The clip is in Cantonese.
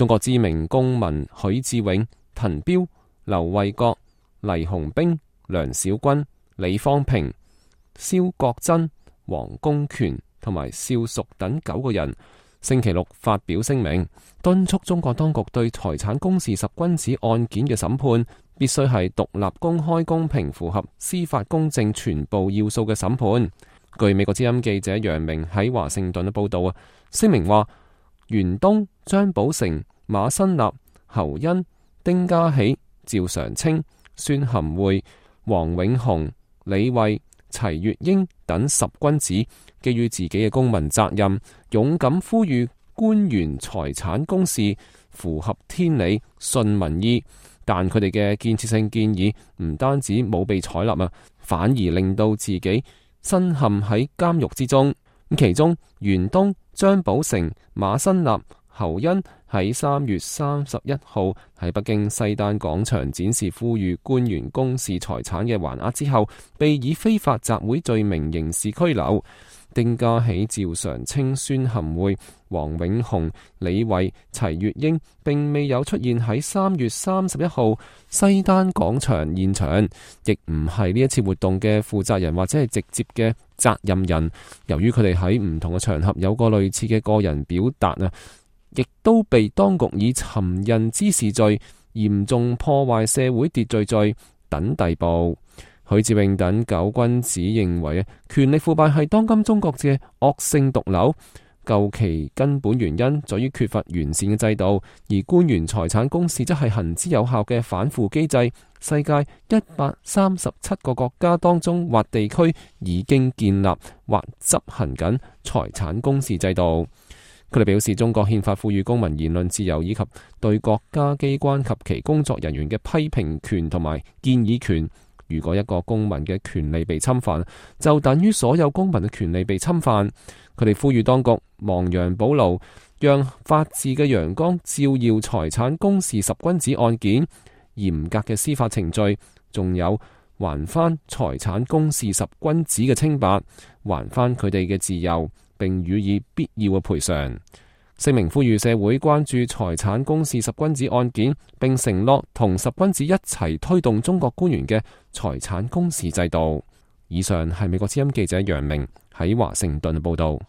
中國知名公民許志永、滕彪、劉衛國、黎鴻兵、梁小軍、李方平、蕭國珍、黃公權同埋邵淑等9個人星期六發表聲明，敦促中國當局對財產公示十君子案件嘅審判必須係獨立、公開、公平，符合司法公正全部要素嘅審判。據美國之音記者楊明喺華盛頓嘅報道聲明話，袁東、張寶成、馬新立、侯恩、丁家喜、趙常清、孫含匯、王永雄、李慧、齊月英等十君子基於自己嘅公民責任，勇敢呼籲官員財產公示，符合天理、順民意。但佢哋嘅建設性建議唔單止冇被採納反而令到自己身陷喺監獄之中。其中袁東、張寶成、馬新立、侯恩喺3月31號喺北京西單廣場展示呼籲官員公示財產嘅橫額之後，被以非法集會罪名刑事拘留。丁家喜、趙常清、孫含匯、王永雄、李慧、齊月英並未有出現喺3月31號西單廣場現場，亦唔係呢一次活動嘅負責人或者係直接嘅責任人。由於佢哋喺唔同嘅場合有過類似嘅個人表達亦都被當局以尋釁滋事罪、嚴重破壞社會秩序罪等逮捕。許志永等9君子認為權力腐敗係當今中國嘅惡性毒瘤，究其根本原因在於缺乏完善嘅制度，而官員財產公示則係行之有效嘅反腐機制。世界137個國家當中或地區已經建立或執行緊財產公示制度。佢哋表示，中國憲法賦予公民言論自由以及對國家機關及其工作人員嘅批評權同埋建議權。如果一個公民嘅權利被侵犯，就等於所有公民嘅權利被侵犯。佢哋呼籲當局亡羊補牢，讓法治嘅陽光照耀財產公示十君子案件，嚴格嘅司法程序，仲有還翻財產公示十君子嘅清白，還翻佢哋嘅自由，並予以必要嘅賠償。聲明呼籲社會關注財產公示十君子案件，並承諾同十君子一齊推動中國官員嘅財產公示制度。以上係美國之音記者楊明喺華盛頓報道。